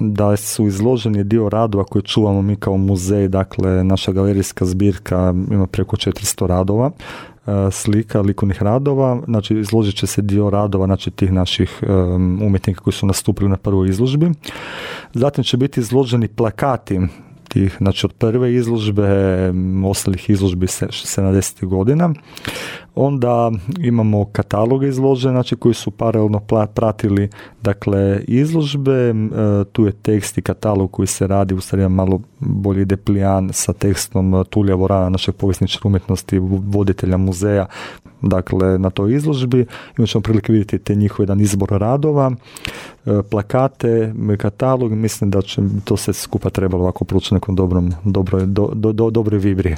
da su izloženi dio radova koje čuvamo mi kao muzej, dakle naša galerijska zbirka ima preko 400 radova, slika, likovnih radova, znači izložit će se dio radova, znači tih naših umjetnika koji su nastupili na prvoj izložbi. Zatim će biti izloženi plakati tih, znači od prve izložbe, ostalih izložbi 70. godina. Onda imamo kataloge izložene, znači koji su paralelno pratili dakle izložbe, tu je tekst i katalog koji se radi, u stvari malo bolji deplijan sa tekstom Tulija Vorana, našeg povjesničara umjetnosti, voditelja muzeja, dakle na toj izložbi. Imat ćemo prilike vidjeti te njihov jedan izbor radova, plakate, katalog, mislim da će to sve skupa trebalo ovako pručiti nekom dobroj vibri.